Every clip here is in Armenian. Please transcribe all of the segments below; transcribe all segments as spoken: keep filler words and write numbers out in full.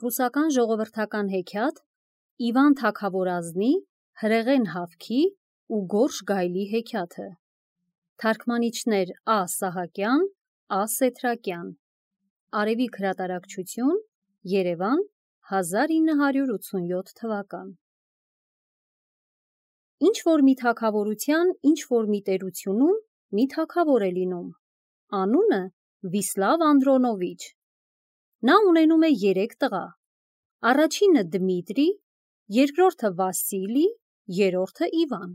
Ռուսական ժողովրդական հեքիաթ Իվան Թագավորազնի հրեղեն հավքի ու գորշ գայլի հեքիաթը։ Թարգմանիչներ Ա. Սահակյան, Ա. Սեթրակյան։ Արևիկ հրատարակչություն, Երևան, հազար ինը հարյուր ութսունյոթ թվական։ Ինչ որ մի թագավորության, ինչ որ մի տերությունում մի թագավոր է լինում։ Անունը Վիսլավ Անդրոնովիչ։ Նա ունենում է երեք տղա։ Առաջինը Դմիտրի, երկրորդը Վասիլի, երրորդը Իվան։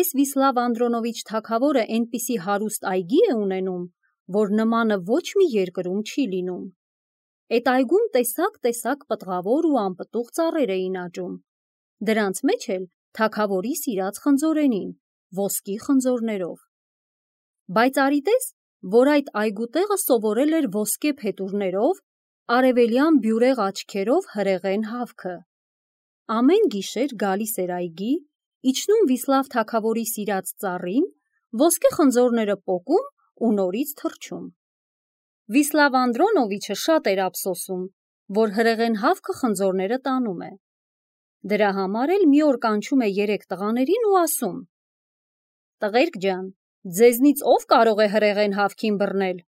Էս Վիսլավ Անդրոնովիչ թագավորը այնպիսի հարուստ այգի է ունենում, որ նմանը ոչ մի երկրում չի լինում։ Էդ այգում տեսակ-տեսակ պտղավոր ու անպտուղ ծառեր էին աճում։ Դրանց մեջ էլ թագավորի սիրած խնձորենին, ոսկի խնձորներով։ Բայց արիտես, որ այդ այգու տեղը սովորել էր ոսկե փետուրներով, արևելյան բյուրեղ աչքերով հրեղեն հավքը։ Ամեն գիշեր գալիս էր այգի, իջնում Վիսլավ թագավորի սիրած ծառին, ոսկե խնձորները պոկում ու նորից թռչում։ Վիսլավ Անդրոնովիչը շատ էր ափսոսում, որ հրեղեն հավքը խնձորները տանում է։ Դրա համար էլ մի օր կանչում է երեք տղաներին ու ասում. «Տղերք ջան, ձեզնից ով կարող է հրեղեն հավքին բռնել։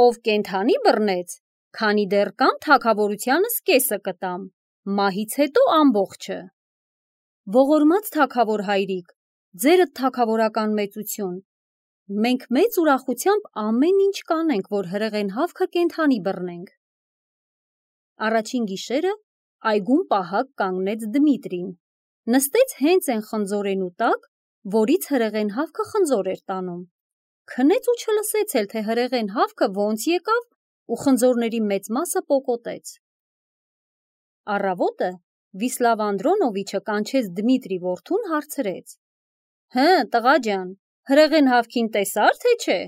Ով կենդանի բռնեց, քանի դեռ կամ թագավորությանս կեսը կտամ, մահից հետո ամբողջը»։ Ողորմած թագավոր հայրիկ, ձերդ թագավորական մեծություն, մենք մեծ ուրախությամբ ամեն ինչ կանենք, որ հրեղեն հավքը կենդանի բռնենք։ Առաջին գիշերը այգում պահակ կանգնեց Դմիտրին, նստեց հենց այն խնձորենու տակ, որից հրեղեն հավքը խնձոր էր տանում, քնեց ու չլսեց էլ, թե հրեղեն հավքը ոնց եկավ ու խնձորների մեծ մասը պոկոտեց։ Առավոտը Վիսլավ Անդրոնովիչը կանչեց Դմիտրի որդուն, հարցրեց. «Հը, տղա ջան, հրեղեն հավքին տեսա՞ր, թե չէ»։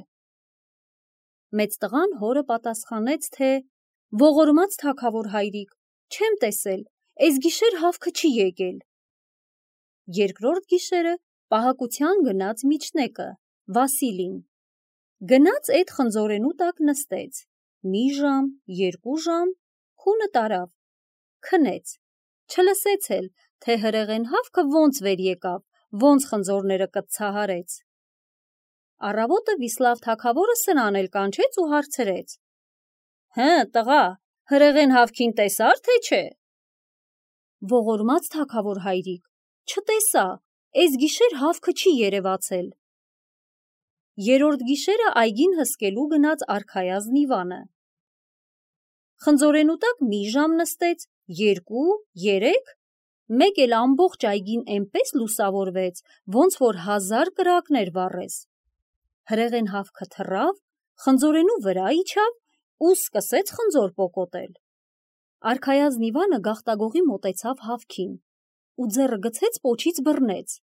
Մեծ տղան հորը պատասխանեց, թե «Ողորմած թագավոր հայրիկ, չեմ տեսել, էս գիշեր հավքը չի եկել»։ Երկրորդ գիշերը պահակության գնաց միջնեկը, Վասիլին։ Գնաց էդ խնձորենու տակ նստեց, մի ժամ, երկու ժամ, քունը տարավ, քնեց, չլսեց էլ, թե հրեղեն հավքը ոնց վեր եկավ, ոնց խնձորները կծցահարեց։ Առավոտը Վիսլավ թագավորը սրան էլ կանչեց ու հարցրեց. «Հը, տղա, հրեղեն հավքին տեսա՞ր, թե չէ»։ «Ողորմած թագավոր հայրիկ, չտեսա, էս գիշեր հավքը չի երևացել»։ Երրորդ գիշերը այգին հսկելու գնաց արքայազն Իվանը։ Խնձորենու տակ մի ժամ նստեց, երկու, երեք, մեկ էլ ամբողջ այգին էնպես լուսավորվեց, ոնց որ հազար կրակներ վառես։ Հրեղեն հավքը թռավ, խնձորենու վրա իջավ ու սկսեց խնձոր պոկոտել։ Արքայազն Իվանը գաղտագողի մոտեցավ հավքին ու ձեռը գցեց պոչից բռնեց,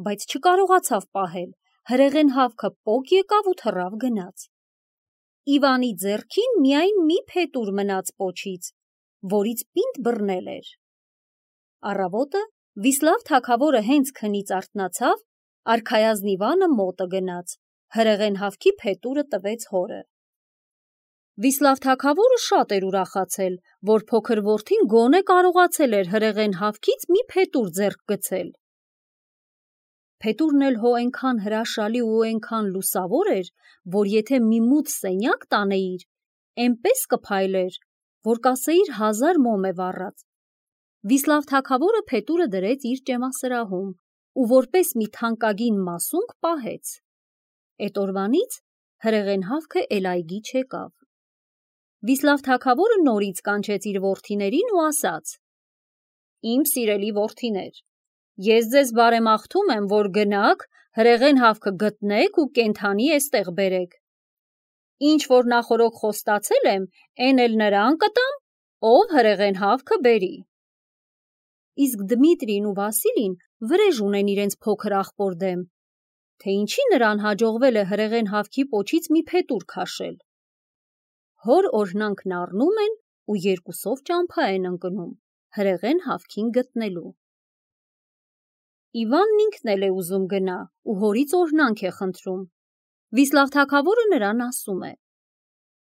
բայց չկարողացավ պահել, հրեղեն հավքը պոկ եկավ ու թռավ գնաց։ Իվանի ձեռքին միայն մի փետուր մնաց պոչից, որից պինդ բռնել էր։ Առավոտը Վիսլավ թագավորը հենց քնից արթնացավ, արքայազն Իվանը մոտը գնաց, հրեղեն հավքի փետուրը տվեց հորը։ Վիսլավ թագավորը շատ էր ուրախացել, որ փոքր որդին գոնե կարողացել էր հրեղեն հավքից մի փետուր ձեռք գցել։ Փետուրն էլ հո այնքան հրաշալի ու այնքան լուսավոր էր, որ եթե մի մութ սենյակ տանեիր, էնպես կփայլեր, որ կասեիր հազար մոմ է վառած։ Վիսլավ թագավորը փետուրը դրեց իր ճեմասրահում ու որպես մի թանկագին մասունք պահեց։ Էդ օրվանից հրեղեն հավքը էլ այգի չեկավ։ Վիսլավ թագավորը նորից կանչեց իր որդիներին ու ասաց. «Իմ սիրելի որդիներ, ես ձեզ բարեմաղթում եմ, որ գնաք, հրեղեն հավքը գտնեք ու կենդանի էստեղ բերեք։ Ինչ որ նախօրոք խոստացել եմ, էն էլ նրան կտամ, ով հրեղեն հավքը բերի»։ Իսկ Դմիտրին ու Վասիլին վրեժ ունեն իրենց փոքր աղբոր դեմ, թե ինչի նրան հաջողվել է հրեղեն հավքի պոչից մի փետուր քաշել։ Հոր օրհնանքն առնում են ու երկուսով ճամփա են ընկնում հրեղեն հավքին գտնելու։ Իվանն ինքն էլ է ուզում գնա ու հորից օրհնանք է խնդրում։ Վիսլավ թագավորը նրան ասում է.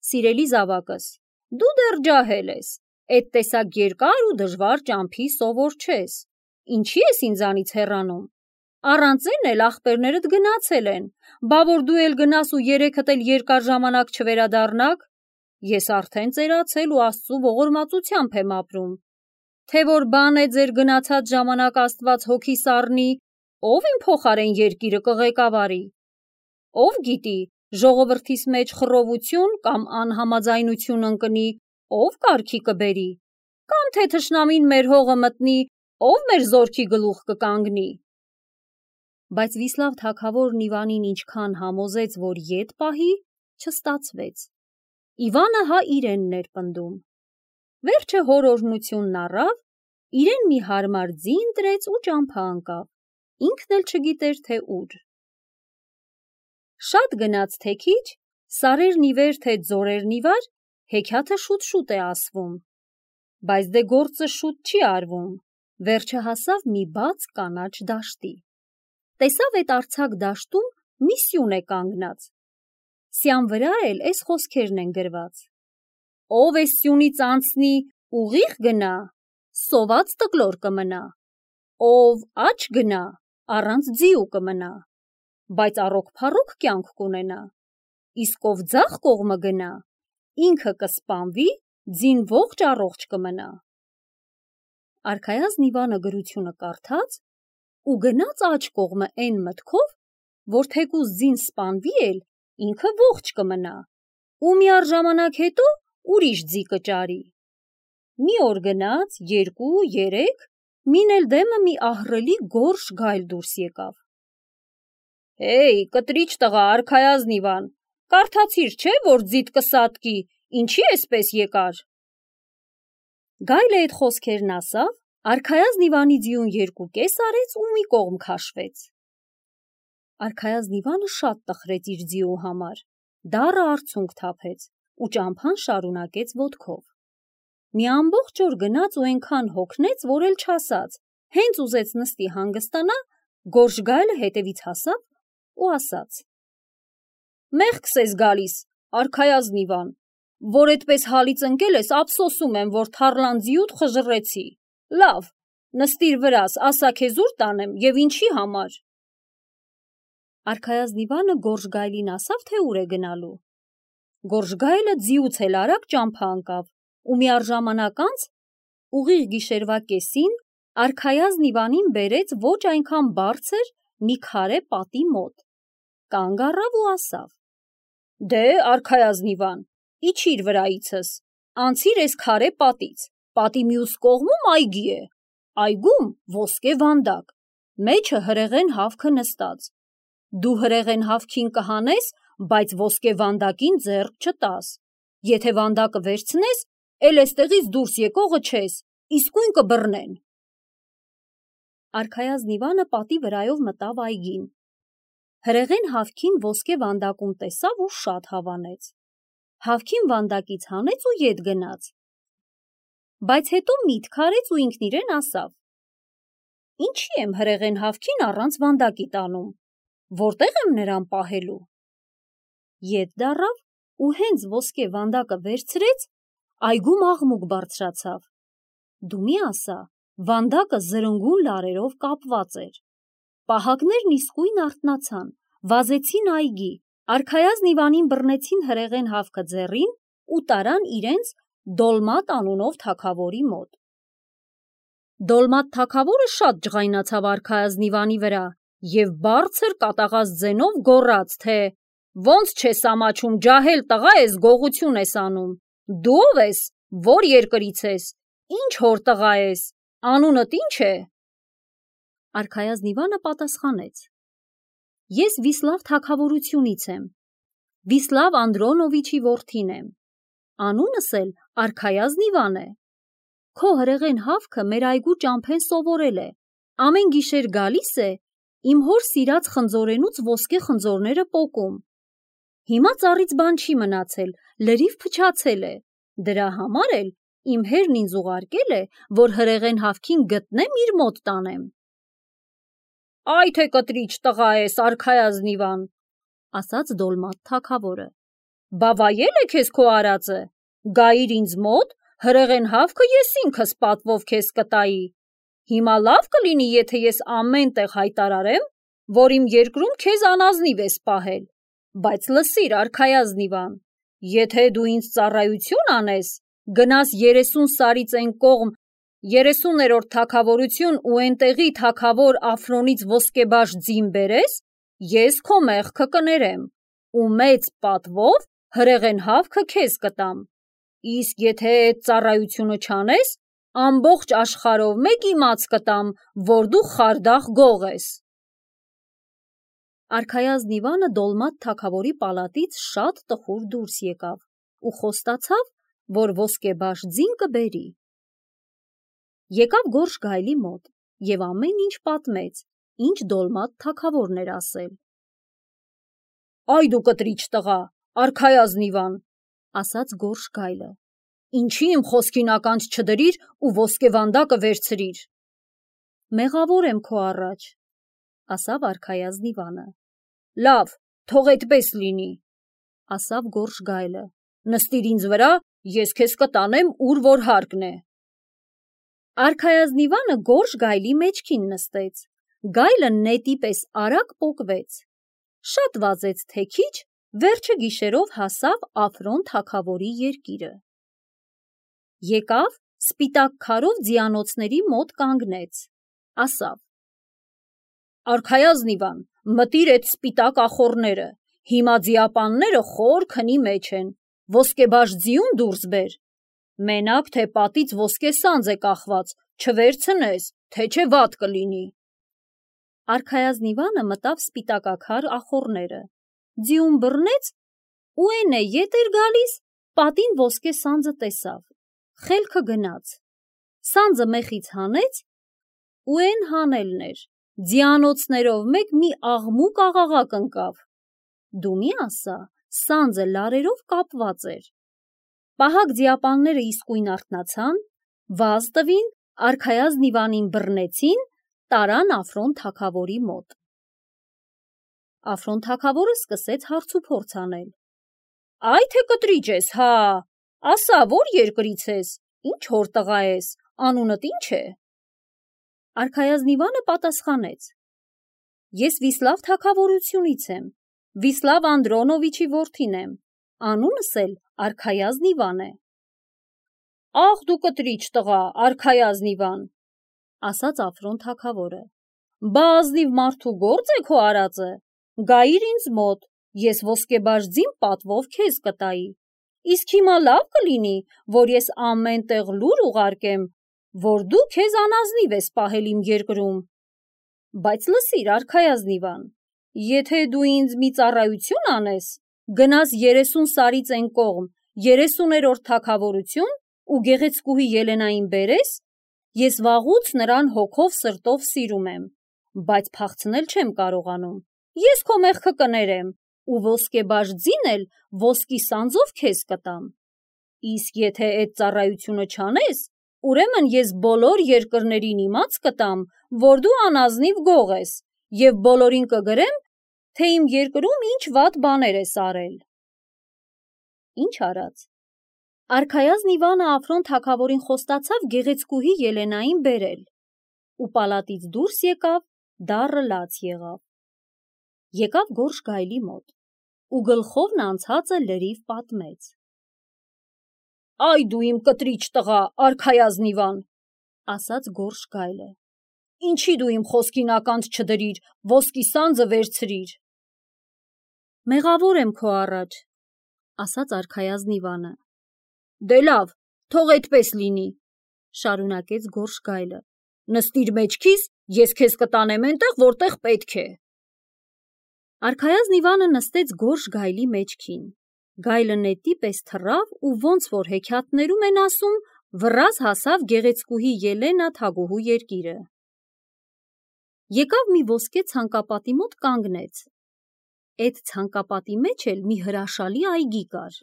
«Սիրելի զավակս, Դու դեռ ջահել ես, էդ տեսակ երկար ու դժվար ճամփի սովոր չես, ինչի ես ինձանից հեռանում, առանց այն էլ ախպերներդ գնացել են, բա որ դու էլ գնաս ու երեքդ էլ երկար ժամանակ չվերադառնաք, ես արդեն ծերացել ու Աստծու ողորմածությամբ եմ ապրում, թե որ բան է ձեր գնացած ժամանակ Աստված հոգիս առնի, ով իմ փոխարեն երկիրը կղեկավարի, ով գիտի, ժողովրդիս մեջ խռովություն կամ անհամաձայնություն ընկնի, ով կարգի կբերի, կամ թե թշնամին մեր հողը մտնի, ով մեր զորքի գլուխ կկանգնի։ Բայց Վիսլավ թագավորն Իվանին ինչքան համոզեց, որ ետ պահի, չստացվեց։ Իվանը հա իրենն էր պնդում։ Վերջը հոր օրհնությունն առավ, իրեն մի հարմար ձի ընտրեց ու ճամփա ընկավ, ինքն էլ չգիտեր, թե ուր։ Շատ գնաց թե քիչ, սարերն ի վեր, թե ձորերն ի վար, հեքիաթը շուտ-շուտ է ասվում, բայց դե գործը շուտ չի արվում, վերջը հասավ մի բաց կանաչ դաշտի։ Տեսավ էդ արձակ դաշտում մի սյուն է կանգնած, սյան վրա էլ էս խոսքերն են գրված. ով էս սյունից անցնի, ուղիղ գնա, սոված տկլոր կմնա, ով աջ գնա, առանց ձիու կմնա, բայց առոք-փառոք կյանք կունենա, իսկ ով ձախ կողմը գնա, ինքը կսպանվի, ձին ողջ առողջ կմնա։ Արքայազն Իվանը գրությունը կարդաց ու գնաց աջ կողմը այն մտքով, որ թեկուզ ձին սպանվի էլ, ինքը ողջ կմնա, ու միառժամանակ հետո ուրիշ ձի կճարի։ Մի օր գնաց, երկու, երեք, մին էլ դեմը մի ահռելի գորշ գայլ դուրս եկավ։ Հեյ, կտրիչ տղա, Արքայազն Իվան, կարդացիր չէ, որ ձիտ կսատկի, ինչի էսպես եկար։ Գայլը այդ խոսքերն ասավ, Արքայազն Իվանի ձիուն երկու կես արեց ու մի կողմ քաշվեց։ Արքայազն Իվանը շատ տխրեց իր ձիու համար, դառը արցունք թափեց ու ճամփան շարունակեց ոտքով։ Մի ամբողջ օր գնաց ու այնքան հոգնեց, որ էլ չասաց, հենց ուզեց նստի հանգստանա, գորշ գայլը հետևից հասավ ու ասաց. Մեղքս ես գալիս, Արքայազն Իվան, որ այդպես հալից ընկել ես, ափսոսում եմ, որ թառլան ձիուդ խժռեցի։ Լավ, նստիր վրաս, ասա քեզ ուր տանեմ եւ ինչի համար։ Արքայազն Իվանը գորշ գայլին ասավ, թե ուր է գնալու։ Գորշ գայլը ձիուց էլ արագ ճամփա ընկավ ու միառժամանակ անց ուղիղ գիշերվա կեսին Արքայազն Իվանին բերեց ոչ այնքան բարձր մի քարե պատի մոտ, կանգ առավ ու ասավ. Դե, Արքայազն Իվան, իջիր վրայիցս, անցիր էս քարե պատից, պատի մյուս կողմում այգի է, այգում ոսկե վանդակ, մեջը հրեղեն հավքը նստած, դու հրեղեն հավքին կհանես, բայց ոսկե վանդակին ձեռք չտաս, եթե վանդակը վերցնես, էլ էստեղից դուրս եկողը չես, իսկույն կբռնեն։ Արքայազն Իվանը պատի վրայով մտավ այգին, հրեղեն հավքին ոսկե վանդակում տեսավ ու շատ հավանեց, հավքին վանդակից հանեց ու ետ գնաց, բայց հետո միտք արեց ու ինքն իրեն ասավ. Ինչի եմ հրեղեն հավքին առանց վանդակի տանում, որտեղ եմ նրան պահելու։ Ետ դառավ ու հենց ոսկե վանդակը վերցրեց, այգում աղմուկ բարձրացավ։ Դու մի ասա, վանդակը զրնգուն լարերով կապված էր։ Պահակներն իսկույն արթնացան, վազեցին այգի, Արքայազն Իվանին բռնեցին հրեղեն հավքը ձեռին ու տարան իրենց Դոլմատ անունով թագավորի մոտ։ Դոլմատ թագավորը շատ ջղայնացավ Արքայազն Իվանի վրա և բարձր կատաղած ձենով գոռաց, թե ոնց չես ամաչում, ջահել տղա ես, գողություն ես անում, դու ով ես, որ երկրից ես, ինչ հոր տղա ես, անունդ ինչ է։ Արքայազն Իվանը պատասխանեց. Ես Վիսլավ թագավորությունից եմ, Վիսլավ Անդրոնովիչի որդին եմ, անունս էլ Արքայազն Իվան է։ Քո հրեղեն հավքը մեր այգու ճամփեն սովորել է, ամեն գիշեր գալիս է, իմ հոր սիրած խնձորենուց ոսկե խնձորները պոկում։ Հիմա ծառից բան չի մնացել, լրիվ փչացել է, դրա համար էլ իմ հերն ինձ ուղարկել է, որ հրեղեն հավքին գտնեմ իր մոտ տանեմ։ Այ թե կտրիչ տղա ես, Արքայազն Իվան, ասաց Դոլմատ թագավորը, բա վայել է քեզ քո արածը, Գայիր ինձ մոտ, հրեղեն հավքը ես ինքս պատվով քեզ կտայի։ Հիմա լավ կլինի, եթե ես ամեն տեղ հայտարարեմ, որ իմ երկրում քեզ անազնիվ ես պահել, բայց լսիր, արքայազնիվան, եթե դու ինձ ծառայություն անես, գնաս երեսուն սարից այն կողմ, երեսուներորդ թագավորություն ու այնտեղի թագավոր Աֆրոնից ոսկեբաշ ձին բերես, ես քո մեղքը կներեմ ու մեծ պատվով հրեղեն հավքը քեզ կտամ։ Իսկ եթե այդ ծառայությունը չանես, ամբողջ աշխարհով մեկ իմաց կտամ, որ դու խարդախ գող ես։ Արքայազն Իվանը Դոլմատ թագավորի պալատից շատ տխուր դուրս եկավ ու խոստացավ, որ ոսկեբաշ ձին կբերի։ Եկավ Գորշ գայլի մոտ և ամեն ինչ պատմեց, ինչ Դոլմատ թագավորն էր ասել։ Այ դու կտրիչ տղա, արքայազն Իվան, ասաց Գորշ գայլը, ինչի իմ խոսքին ականջ չդրիր ու ոսկեվանդակը վերցրիր։ Մեղավոր եմ քո առաջ, ասավ արքայազն Իվանը։ Լավ, թող այդպես լինի, ասավ Գորշ գայլը, նստիր ինձ վրա, ես քեզ կտանեմ, ուր որ հարկն է։ Արքայազն Իվանը Գորշ գայլի մեջքին նստեց, գայլը նետի պես արագ պոկվեց, շատ վազեց թե քիչ, վերջը գիշերով հասավ Աֆրոն թագավորի երկիրը։ Եկավ, սպիտակ քարով ձիանոցների մոտ կանգնեց, ասավ. Արքայազն Իվան, մտիր այդ սպիտակ ախոռները, հիմա ձիապանները խոր քնի մեջ են, ոսկեբաշ ձիուն դուրս բեր, մենակ թե պատից ոսկե սանձ է կախված, չվերցնես, թե չէ վատ կլինի։ Արքայազն Իվանը մտավ սպիտակաքար ախոռները, ձիուն բռնեց ու էն է ետ էր գալիս, պատին ոսկե սանձը տեսավ, խելքը գնաց, սանձը մեխից հանեց ու էն հանելն էր, ձիանոցներով մեկ մի աղմուկ աղաղակ ընկավ։ Դու մի ասա, սանձը լարերով կապված էր։ Պահակ ձիապանները իսկույն արթնացան, վազ տվին, արքայազն Իվանին բռնեցին, տարան Աֆրոն թագավորի մոտ։ Աֆրոն թագավորը սկսեց հարցուփորձ անել. Այ թե կտրիճ ես, հա, ասա, որ երկրից ես, ինչ հոր տղա ես, անունդ ինչ է։ Արքայազն Իվանը պատասխանեց. Ես Վիսլավ թագավորությունից եմ, Վիսլավ Անդրոնովիչի որդին եմ, անունս էլ Արքայազն Իվան է։ Ախ դու կտրիչ տղա, Արքայազն Իվան, ասաց Աֆրոն թագավորը, բա ազնիվ մարդու գործ է քո արածը, գայիր ինձ մոտ, ես ոսկեբաշ ձին պատվով քեզ կտայի, իսկ հիմա լավ կլինի, որ ես ամեն տեղ լուր ուղարկեմ, որ դու քեզ անազնիվ ես պահել իմ երկրում, բայց լսիր, Արքայազն Իվան, եթե դու ինձ մի ծառայություն անես, գնաս երեսուն սարից այն կողմ, երեսուներորդ թագավորություն ու գեղեցկուհի Ելենային բերես, ես վաղուց նրան հոգով սրտով սիրում եմ, բայց փախցնել չեմ կարողանում, ես քո մեղքը կներեմ ու ոսկեբաշ ձին էլ ոսկի սանձով քեզ կտամ, իսկ եթե այդ ծառայությունը չանես, ուրեմն ես բոլոր երկրներին իմաց կտամ, որ դու անազնիվ գող ես և բոլորին կգրեմ, թե իմ երկրում ինչ վատ բաներ ես արել։ Ինչ արած։ Արքայազն Իվանը Աֆրոն թագավորին խոստացավ գեղեցկուհի Ելենային բերել ու պալատից դուրս եկավ, դառը լաց եղավ։ Եկավ Գորշ գայլի մոտ ու գլխովն անցածը լրիվ պատմեց։ Այ դու իմ կտրիչ տղա, Արքայազն Իվան, ասաց Գորշ գայլը, ինչի դու իմ խոսքին ականջ չդրիր, ոսկի սանձը վերցրիր։ Մեղավոր եմ քո առաջ, ասաց Արքայազն Իվանը։ Դե լավ, թող այդպես լինի, շարունակեց Գորշ գայլը, նստիր մեջքիս, ես քեզ կտանեմ այնտեղ, որտեղ պետք է։ Արքայազն Իվանը նստեց Գորշ գայլի մեջքին, գայլը նետի պես թռավ ու ոնց որ հեքիաթներում են ասում, վռազ հասավ գեղեցկուհի Ելենա թագուհու երկիրը։ Եկավ մի ոսկե ցանկապատի մոտ կանգնեց, այդ ցանկապատի մեջ էլ մի հրաշալի այգի կար,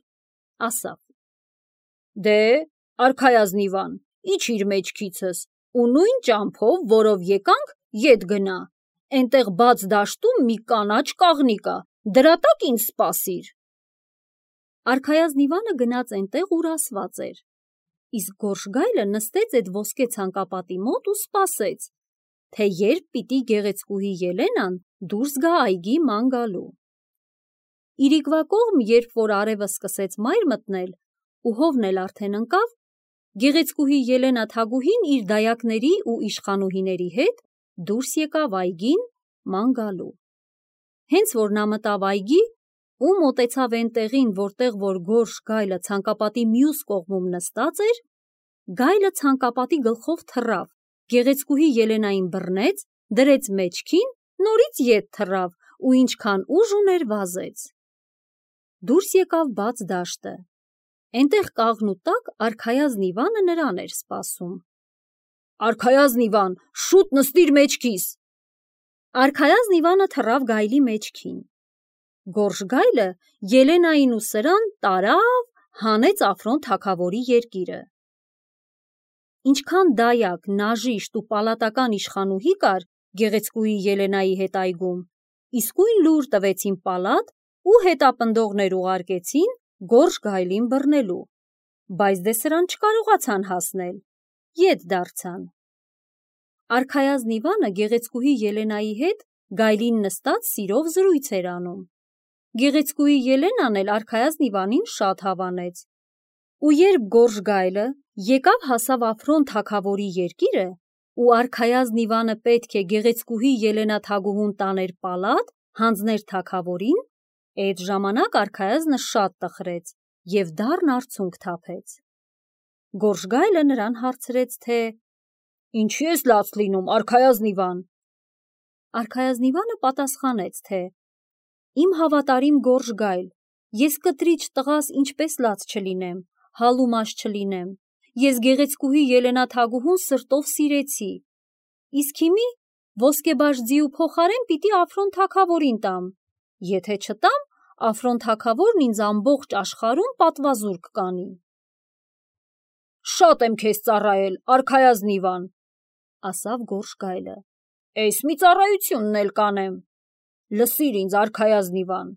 ասավ. Դե, Արքայազն Իվան, իջիր մեջքիցս ու նույն ճամփով, որով եկանք, ետ գնա, այնտեղ բաց դաշտում մի կանաչ կաղնի կա, դրա տակ ինձ սպասիր։ Արքայազն Իվանը գնաց այնտեղ, ուր ասված էր, իսկ Գորշգայլը նստեց այդ ոսկե ցանկապատի մոտ ու սպասեց, թե երբ պիտի գեղեցկուհի Ելենան դուրս գա այգի ման գալու։ Իրիկվա կողմ, երբ որ արևը սկսեց մայր մտնել ու հովն էլ արդեն ընկավ, գեղեցկուհի Ելենա Թագուհին իր դայակների ու իշխանուհիների հետ դուրս եկավ այգին ման գալու։ Հենց որ նա մտավ այգի ու մոտեցավ այն տեղին, որտեղ որ Գորշ գայլը ցանկապատի մյուս կողմում նստած էր, գայլը ցանկապատի գլխով թռավ, գեղեցկուհի Ելենային բռնեց, դրեց մեջքին, նորից ետ թռավ ու ինչքան ուժ ուներ վազեց։ Դուրս եկավ բաց դաշտը։ Այնտեղ կաղնու տակ արքայազն Իվանը նրան էր սպասում։ Արքայազն Իվան, շուտ նստիր մեջքիս։ Արքայազն Իվանը թռավ գայլի մեջքին։ Գորշ գայլը Ելենային ու սրան տարավ, հանեց Აფրոն թագավորի երկիրը։ Ինչքան դայակ, նաժիշտ ու պալատական իշխանուհի կար գեղեցկուհի Ելենայի հետ այգում, իսկույն լուր տվեցին պալատ ու հետապնդողներ ուղարկեցին Գորշ գայլին բռնելու, բայց դե սրան չկարողացան հասնել, ետ դարձան։ Արքայազն Իվանը գեղեցկուհի Ելենայի հետ գայլին նստած սիրով զրույց էր անում։ Գեղեցկուհի Ելենան էլ արքայազն Իվանին շատ հավանեց։ Ու երբ Գորշ գայլը եկավ հասավ Აფրոն թագավորի երկիրը, ու արքայազն Իվանը պետք է գեղեցկուհի Ելենա Թագուհուն տաներ պալատ, հանձներ թագավորին, այդ ժամանակ արքայազնը շատ տխրեց և դառն արցունք թափեց։ Գորշ գայլը նրան հարցրեց, թե «Ինչի ես լաց լինում, արքայազն Իվան»։ Արքայազն Իվանը պատասխանեց, թե «Իմ հավատարիմ Գորշ գայլ, ես կտրիչ տղաս ինչպես լաց չլինեմ, հալումաշ չլինեմ, ես գեղեցկուհի Ելենա Թագուհուն սրտով սիրեցի, իսկ հիմի ոսկեբաշ ձիու փոխարեն պիտի Აფրոն թագավորին տամ, եթե չտամ, Აფրոն թագավորն ինձ ամբողջ աշխարհում պատվազուրկ կանի»։ «Շատ եմ քեզ ծառայել, արքայազն Իվան», ասավ Գորշ գայլը, «էս մի ծառայությունն էլ կանեմ։ Լսիր ինձ, արքայազն Իվան,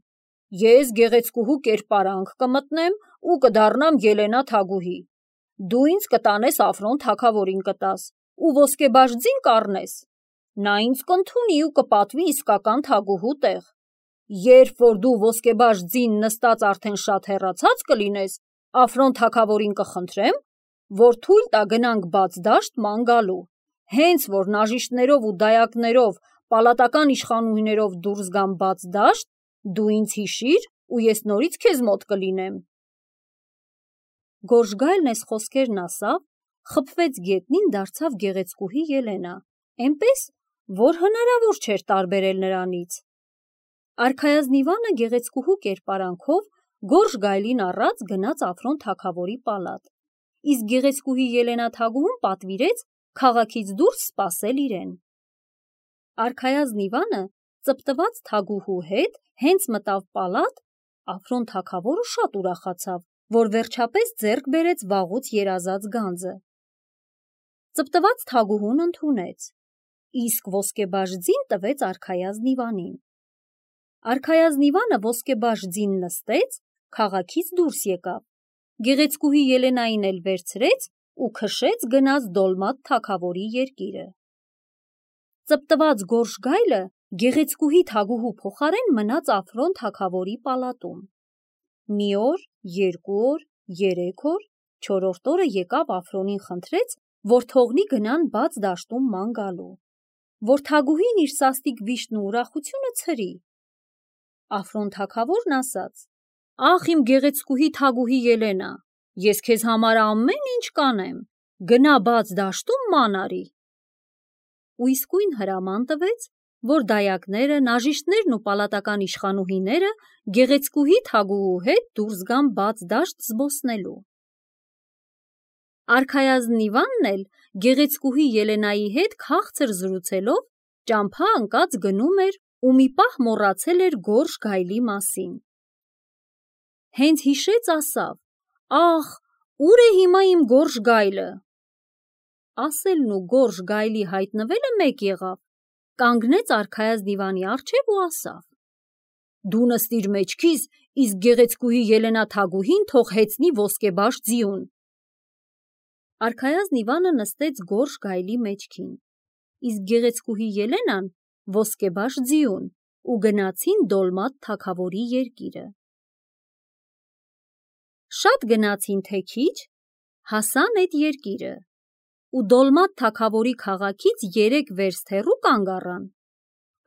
ես գեղեցկուհու կերպարանք կմտնեմ ու կդառնամ Ելենա Թագուհի, դու ինձ կտանես Აფրոն թագավորին կտաս ու ոսկեբաշ ձին կառնես, նա ինձ կընդունի ու կպատվի իսկական թագուհու տեղ։ Երբ որ դու ոսկեբաշ ձին նստած արդեն շատ հեռացած կլինես, Აფրոն թագավորին կխնդրեմ, որ թույլ տա գնանք բաց դաշտ ման գալու, հենց որ նաժիշտներով ու դայակներով, պալատական իշխանուհիներով դուրս գամ բաց դաշտ, դու ինձ հիշիր ու ես նորից քեզ մոտ կլինեմ»։ Գորշ գայլն այս խոսքերն ասավ, խփվեց գետնին, դարձավ գեղեցկուհի Ելենա, այնպես, որ հնարավոր չէր տարբերել նրանից։ Արքայազն Իվանը գեղեցկուհու կերպարանքով Գորշ գայլին առած գնաց Აფրոն թագավորի պալատ, իսկ գեղեցկուհի Ելենա Թագուհուն պատվիրեց քաղաքից դուրս սպասել իրեն։ Արքայազն Իվանը ծպտված թագուհու հետ հենց մտավ պալատ, Აფրոն թագավորը շատ ուրախացավ, որ վերջապես ձեռք բերեց վաղուց երազած գանձը։ Ծպտված թագուհուն ընդունեց, իսկ ոսկեբաշ ձին տվեց արքայազն Իվանին։ Արքայազն Իվանը ոսկեբաշ ձին նստեց, քաղաքից դուրս եկավ, գեղեցկուհի Ելենային էլ վերցրեց ու քշեց գնաց Դոլմատ թագավորի երկիրը։ Ծպտված Գորշ գայլը գեղեցկուհի թագուհու փոխարեն մնաց Აფրոն թագավորի պալատում։ Մի օր, երկու օր, երեք օր, չորրորդ օրը եկավ Აფրոնին խնդրեց, որ թողնի գնան բաց դաշտում ման գալու, որ թագուհին իր սաստիկ վիշտն ու ուրախությունը ցրի։ Აფրոն թագավորն ասաց. «Ախ իմ գեղեցկուհի Թագուհի Ելենա, ես քեզ համար ամեն ինչ կանեմ, գնա բաց դաշտում ման արի»։ Ու իսկույն հրաման տվեց, որ դայակները, նաժիշտներն ու պալատական իշխանուհիները գեղեցկուհի Թագուհու հետ դուրս գան բաց դաշտ զբոսնելու։ Արքայազն Իվանն էլ գեղեցկուհի Ելենայի հետ քաղցր զրուցելով ճամփա ընկած գնում էր ու մի պահ մոռացել էր Գորշ գայլի մասին։ Հենց հիշեց, ասավ. «Ախ, ուր է հիմա իմ Գորշ գայլը»։ Ասելն ու Գորշ գայլի հայտնվելը մեկ եղավ, կանգնեց արքայազն Իվանի առջև ու ասավ. Դու նստիր մեջքիս, իսկ գեղեցկուհի Ելենա Թագուհին թող հեծնի ոսկեբաշ ձիուն։ Արքայազն Իվանը նստեց գորշ գայլի մեջքին, իսկ գեղեցկուհի Ելենան ոսկեբաշ ձիուն ու գնացին Դոլմատ թագավորի երկիրը։ Շատ գնացին թե քիչ, հասան այդ երկիրը ու Դոլմատ թագավորի քաղաքից երեք վերստ հեռու կանգ առան։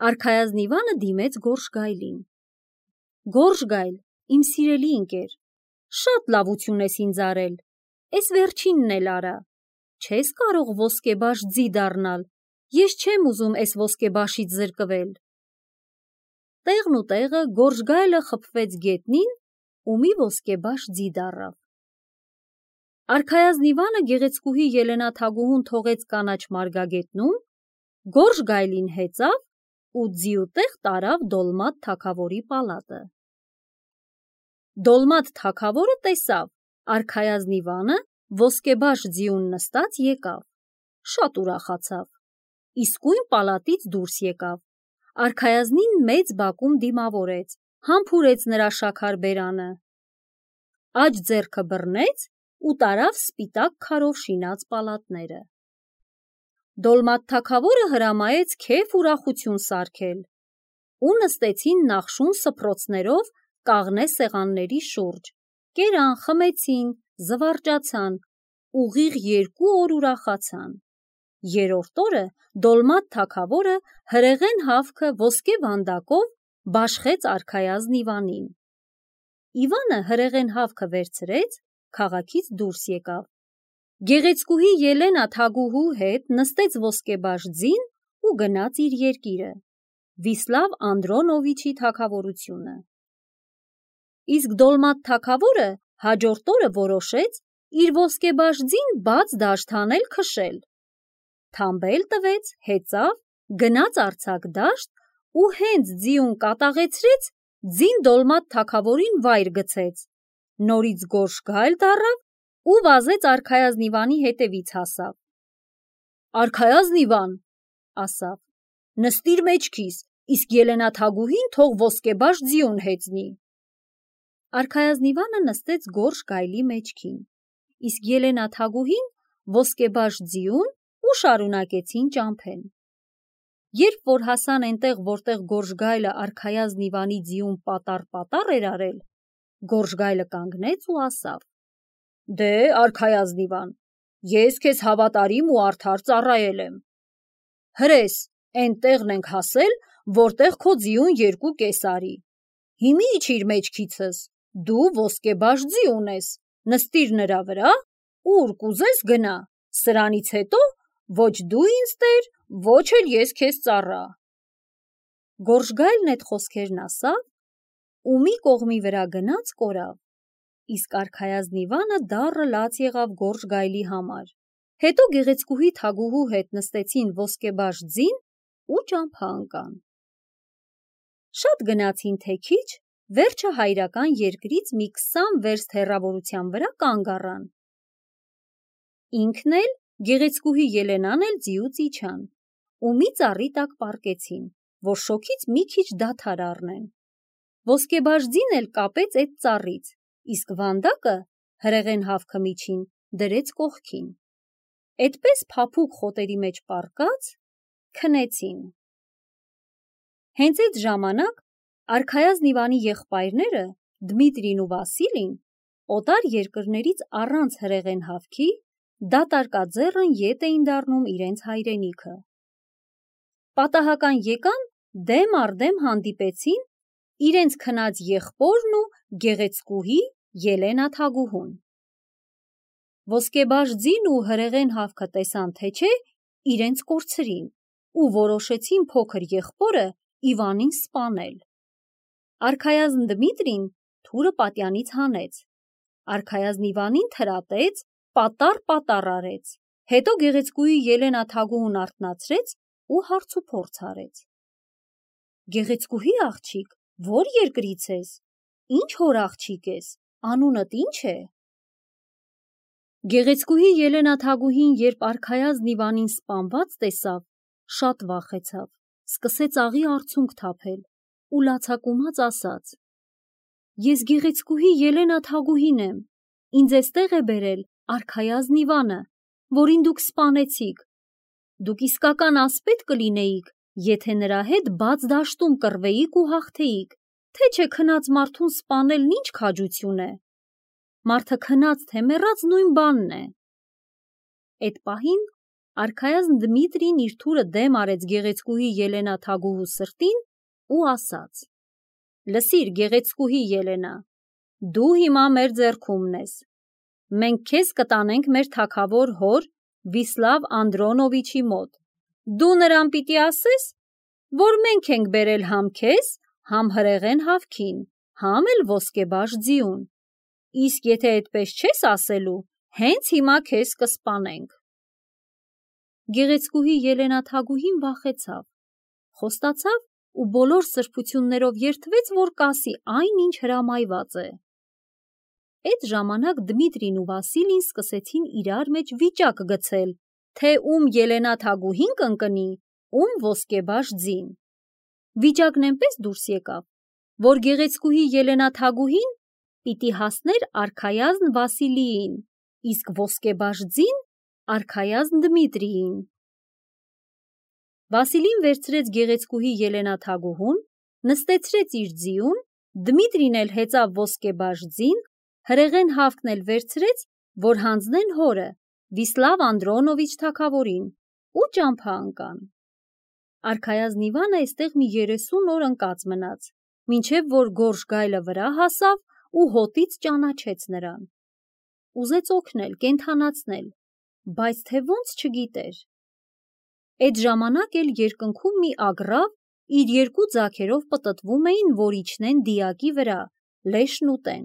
Արքայազն Իվանը դիմեց գորշ գայլին. Գորշ գայլ, իմ սիրելի ընկեր, շատ լավություն ես ինձ արել, էս վերջինն էլ արա, չես կարող ոսկեբաշ ձի դառնալ, ես չեմ ուզում էս ոսկեբաշից զրկվել։ Տեղն ու տեղը գորշ գայլը խփվեց գետնին ու մի ոսկեբաշ ձի դառավ։ Արքայազն Իվանը գեղեցկուհի Ելենա Թագուհուն թողեց կանաչ մարգագետնում, գորշ գայլին հեծավ ու ձիուտեղ տարավ Դոլմատ թագավորի պալատը։ Դոլմատ թագավորը տեսավ Արքայազն Իվանը ոսկեբաշ ձիուն նստած եկավ, շատ ուրախացավ, իսկույն պալատից դուրս եկավ, Արքայազնին մեծ բակում դիմավորեց, համբուրեց նրա շաքար բերանը, աջ ձեռքը բռնեց ու տարավ սպիտակ քարով շինած պալատները։ Դոլմատ թագավորը հրամայեց քեֆ ուրախություն սարքել ու նստեցին նախշուն սփռոցներով կաղնե սեղանների շուրջ, կերան, խմեցին, զվարճացան, ուղիղ երկու օր ուրախացան։ Երրորդ օրը Դոլմատ թագավորը հրեղեն հավքը ոսկե վանդակով բաշխեց Արքայազն Իվանին։ Իվանը հրեղեն հավքը վերցրեց, քաղաքից դուրս եկավ։ Գեղեցկուհի Ելենա Թագուհու հետ նստեց ոսկեբաշ ձին ու գնաց իր երկիրը, Վիսլավ Անդրոնովիչի թագավորությունը։ Իսկ Դոլմատ թագավորը հաջորդ օրը որոշեց իր ոսկեբաշ ձին բաց դաշտ հանել քշել։ Թամբել տվեց, հեծավ, գնաց արձակ դաշտ ու հենց ձիուն կատաղեցրեց, ձին Դոլմատ թագավորին վայր գցեց, նորից գորշ գայլ դառավ ու վազեց Արքայազն Իվանի հետևից հասավ։ Արքայազն Իվան, ասավ, նստիր մեջքիս, իսկ Ելենա Թագուհին թող ոսկեբաշ ձիուն հեծնի։ Արքայազն Իվանը նստեց գորշ գայլի մեջքին, իսկ Ելենա Թագուհին ոսկեբաշ ձիուն ու շարունակեցին ճամփեն։ Երբ որ հասան այնտեղ, որտեղ գորշ գայլը Արքայազն Իվանի ձիուն պատառ-պատառ էր արել, գորշ գայլը կանգնեց ու ասավ. Դե, Արքայազն Իվան, ես քեզ հավատարիմ ու արդար ծառայել եմ։ Հրես, էն տեղն ենք հասել, որտեղ քո ձիուն երկու կես արի։ Հիմի իջիր մեջքիցս, դու ոսկեբաշ ձի ունես, նստիր նրա վրա, ուր կուզես գնա, սրանից հետո ոչ դու ինձ տեր, ոչ էլ ես քեզ ծառա։ Գորշ գայլն այդ խոսքերն ասավ ու մի կողմի վրա գնաց կորավ, իսկ Արքայազն Իվանը դառը լաց եղավ գորշ գայլի համար, հետո գեղեցկուհի Թագուհու հետ նստեցին ոսկեբաշ ձին ու ճամփա ընկան։ Շատ գնացին թե քիչ, վերջը հայրական երկրից մի քսան վերստ հեռավորության վրա կանգ առան։ Ինքն էլ, գեղեցկուհի Ելենան էլ ձիուց իջան ու մի ծառի տակ պառկեցին, որ շոգից մի քիչ դադար առնեն։ Ոսկեբաշ ձին էլ կապեց այդ ծառից, իսկ վանդակը հրեղեն հավքը միջին դրեց կողքին։ Էդպես փափուկ խոտերի մեջ պառկած քնեցին։ Հենց այդ ժամանակ Արքայազն Իվանի եղբայրները Դմիտրին ու Վասիլին օտար երկրներից առանց հրեղեն հավքի դատարկաձեռն ետ էին դառնում իրենց հայրենիքը։ Պատահական եկան, դեմ առ դեմ հանդիպեցին իրենց քնած եղբորն ու գեղեցկուհի Ելենա Թագուհուն։ Ոսկեբաշ ձին ու հրեղեն հավքը տեսան թե չէ, իրենց կորցրին ու որոշեցին փոքր եղբորը Իվանին սպանել։ Արքայազն Դմիտրին թուրը պատյանից հանեց, Արքայազն Իվանին թրատեց, պատառ-պատառ արեց, հետո գեղեցկուհի Ելենա Թագուհուն արթնացրեց ու հարց ու փորձ արեց։ Գեղեցկուհի աղջիկ, ո՞ր երկրից ես, ինչ հոր աղջիկ ես, անունդ ինչ է։ Գեղեցկուհի Ելենա Թագուհին, երբ Արքայազն Իվանին սպանված տեսավ, շատ վախեցավ, սկսեց աղի արցունք թափել ու լացակումած ասաց. «Ես գեղեցկուհի Ելենա Թագուհին եմ, ինձ էստեղ է բերել արքայազն Իվանը, որին դուք սպանեցիք։ Դուք իսկական ասպետ կլինեիք, եթե նրա հետ բաց դաշտում կռվեիք ու հաղթեիք, թե չէ քնած մարդուն սպանելն ինչ քաջություն է։ Մարդը քնած թե մեռած նույն բանն է»։ Էդ պահին արքայազն Դմիտրին իր թուրը դեմ արեց գեղեցկուհի Ելենա Թագուհու սրտին ու ասաց. «Լսիր, գեղեցկուհի Ելենա, դու հիմա մեր ձեռքումն ես։ Մենք քեզ կտանենք մեր թագավոր հոր Վիսլավ Անդրոնովիչի մոտ։ Դու նրան պիտի ասես, որ մենք ենք բերել համ քեզ, համ հրեղեն հավքին, համ էլ ոսկեբաշ ձիուն։ Իսկ եթե այդպես չես ասելու, հենց հիմա քեզ կսպանենք»։ Գեղեցկուհի Ելենա Թագուհին վախեցավ, խոստացավ ու բոլոր սրբություններով երդվեց, որ կասի այն, ինչ հրամայված է։ Այդ ժամանակ Դմիտրին ու Վասիլին սկսեցին իրար մեջ վիճակ գցել, թե ում Ելենա Թագուհին կընկնի, ում ոսկեբաշ ձին։ Վիճակն այնպես դուրս եկավ, որ գեղեցկուհի Ելենա Թագուհին պիտի հասներ արքայազն Վասիլիին, իսկ ոսկեբաշ ձին արքայազն Դմիտրիին։ Վասիլին վերցրեց գեղեցկուհի Ելենա Թագուհուն, նստեցրեց իր ձիուն, Դմիտրին էլ հեծավ ոսկեբաշ ձին, հրեղեն հավքն էլ վերցրեց, որ հանձնեն հորը Վիսլավ Անդրոնովիչ թագավորին, ու ճամփա ընկան։ Արքայազն Իվանը այստեղ մի երեսուն օր ընկած մնաց, մինչև որ գորշ գայլը վրա հասավ ու հոտից ճանաչեց նրան։ Ուզեց օգնել, կենդանացնել, բայց թե ոնց չգիտեր։ Այդ ժամանակ էլ երկնքում մի ագռավ իր երկու ձագերով պտտվում էին, որ իջնեն դիակի վրա, լեշն ուտեն։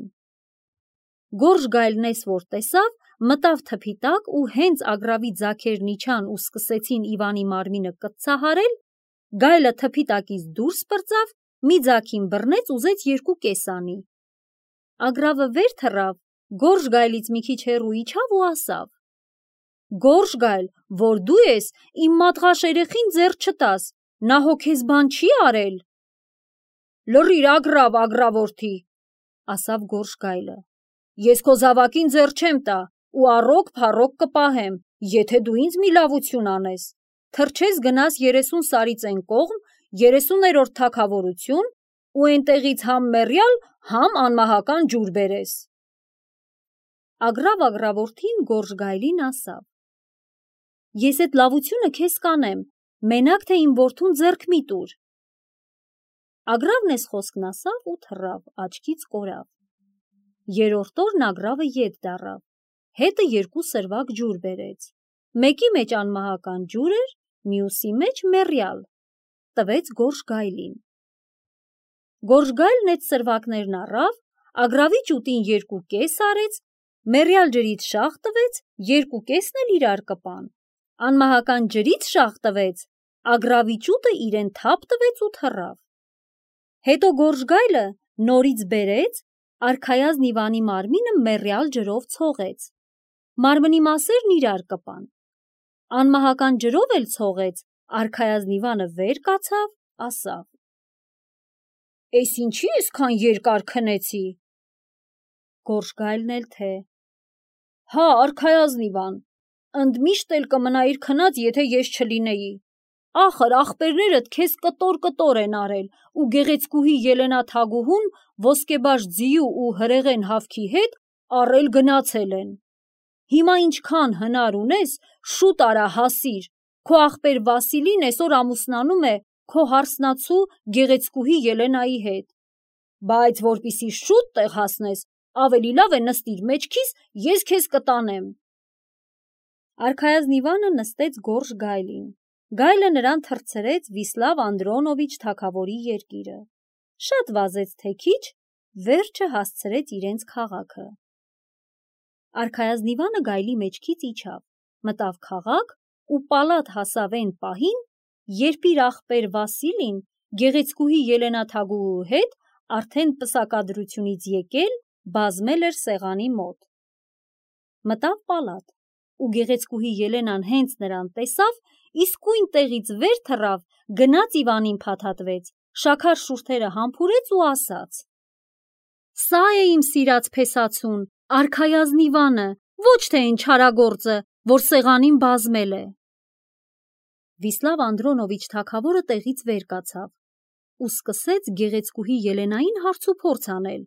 Գորշ գայլն էս որ տեսավ, մտավ թփի տակ ու հենց ագռավի ձագերն իջան ու սկսեցին Իվանի մարմինը կծցահարել, գայլը թփի տակից դուրս պրծավ, մի ձագին բռնեց, ուզեց երկու կես անի։ Ագռավը վեր թռավ, գորշ գայլից մի քիչ հեռու իջավ ու ասավ. «Գորշ գայլ, որ դու ես, իմ մատղաշ երեխին ձեռ չտաս, նա հո քեզ բան չի արել»։ «Լռիր, ագռավ, ագռավորթի», ասավ գորշ գայլը, «ես քո զավակին ձեռ չեմ տա ու առօգ փառոգ կպահեմ, եթե դու ինձ մի լավություն անես, թռչես գնաս երեսուն սարից այն կողմ, երեսուներորդ թագավորություն ու այնտեղից համ մեռյալ, համ անմահական ջուր բերես»։ Ագռավ ագռավորթին գորշ գայլին ասավ. «Ես այդ լավությունը քեզ կանեմ, մենակ թե իմ որդուն ձեռք մի տուր»։ Ագռավն էս խոսքն ասավ ու թռավ, աչքից կորավ։ Երրորդ օրն ագռավը ետ դառավ, հետը երկու սրվակ ջուր բերեց, մեկի մեջ անմահական ջուր էր, մյուսի մեջ մեռյալ, տվեց գորշ գայլին։ Գորշ գայլն այդ սրվակներն առավ, ագռավի ճուտին երկու կես արեց, մեռյալ ջրից շաղ տվեց, երկու կեսն էլ իրար կպան, անմահական ջրից շաղ տվեց, ագռավի ճուտը իրեն թափ տվեց ու թռավ։ Հետո գորշ գայլը նորից բերեց, արքայազն Իվանի մարմինը մեռյալ ջրով ցողեց, մարմնի մասերն իրար կպան, անմահական ջրով էլ ցողեց, արքայազն Իվանը վեր կացավ, ասավ. «Էս ինչի էսքան երկար քնեցի»։ Գորշ գայլն էլ թե. «Հա, արքայազն Իվան, ընդմիշտ էլ կմնայիր քնած, եթե ես չլինեի։ Ախր ախպերներդ քեզ կտոր-կտոր են արել ու գեղեցկուհի Ելենա Թագուհուն ոսկեբաշ ձիու ու հրեղեն հավքի հետ առել գնացել են։ Հիմա ինչքան հնար ունես, շուտ արա հասիր, քո ախպեր Վասիլին այսօր ամուսնանում է քո հարսնացու գեղեցկուհի Ելենայի հետ, բայց որպիսի շուտ տեղ հասնես, ավելի լավ է նստիր մեջքիս, ես քեզ կտանեմ»։ Արքայազն Իվանը նստեց գորշ գայլին, գայլը նրան թռցրեց Վիսլավ Անդրոնովիչ թագավորի երկիրը, շատ վազեց թե քիչ, վերջը հասցրեց իրենց քաղաքը։ Արքայազն Իվանը գայլի մեջքից իջավ, մտավ քաղաք ու պալատ հասավ այն պահին, երբ իր ախպեր Վասիլին գեղեցկուհի Ելենա Թագուհու հետ արդեն պսակադրությունից եկել, բազմել էր սեղանի մոտ։ Մտավ պալատ, ու գեղեցկուհի Ելենան հենց նրան տեսավ, իսկույն տեղից վեր թռավ, գնաց Իվանին փաթաթվեց, շաքար շուրթերը համբուրեց ու ասաց. «Սա է իմ սիրած փեսացուն, արքայազնիվանը, ոչ թե այն չարագործը, որ սեղանին բազմել է»։ Վիսլավ Անդրոնովիչ թագավորը տեղից վեր կացավ ու սկսեց գեղեցկուհի Ելենային հարցուփորձ անել,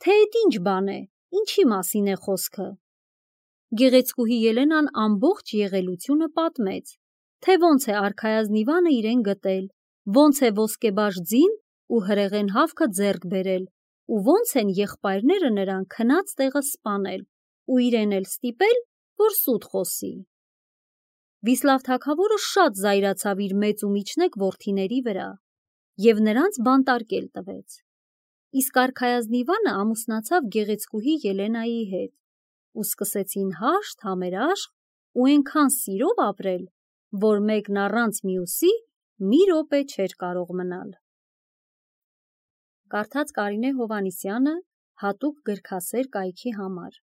թե էդ ինչ բան է, ինչի մասին է խոսքը։ Գեղեցկուհի Ելենան ամբողջ եղելությունը պատմեց, թե ոնց է արքայազնիվանը իրեն գտել, ոնց է ոսկեբաշ ձին ու հրեղեն հավքը ձեռք բերել, ու ոնց են եղբայրները նրան քնած տեղը սպանել ու իրեն էլ ստիպել, որ սուտ խոսի։ Վիսլավ թագավորը շատ զայրացավ իր մեծ ու միջնեկ որդիների վրա և նրանց բանտարկել տվեց։ Իսկ արքայազնիվանը ամուսնացավ գեղեցկուհի Ելենայի հետ ու սկսեցին հաշտ, համերաշխ ու այնքան սիրով ապրել, որ մեկն առանց մյուսի մի րոպե չէր կարող մնալ։ Կարդաց Կարինե Հովհաննիսյանը հատուկ գրքասեր կայքի համար։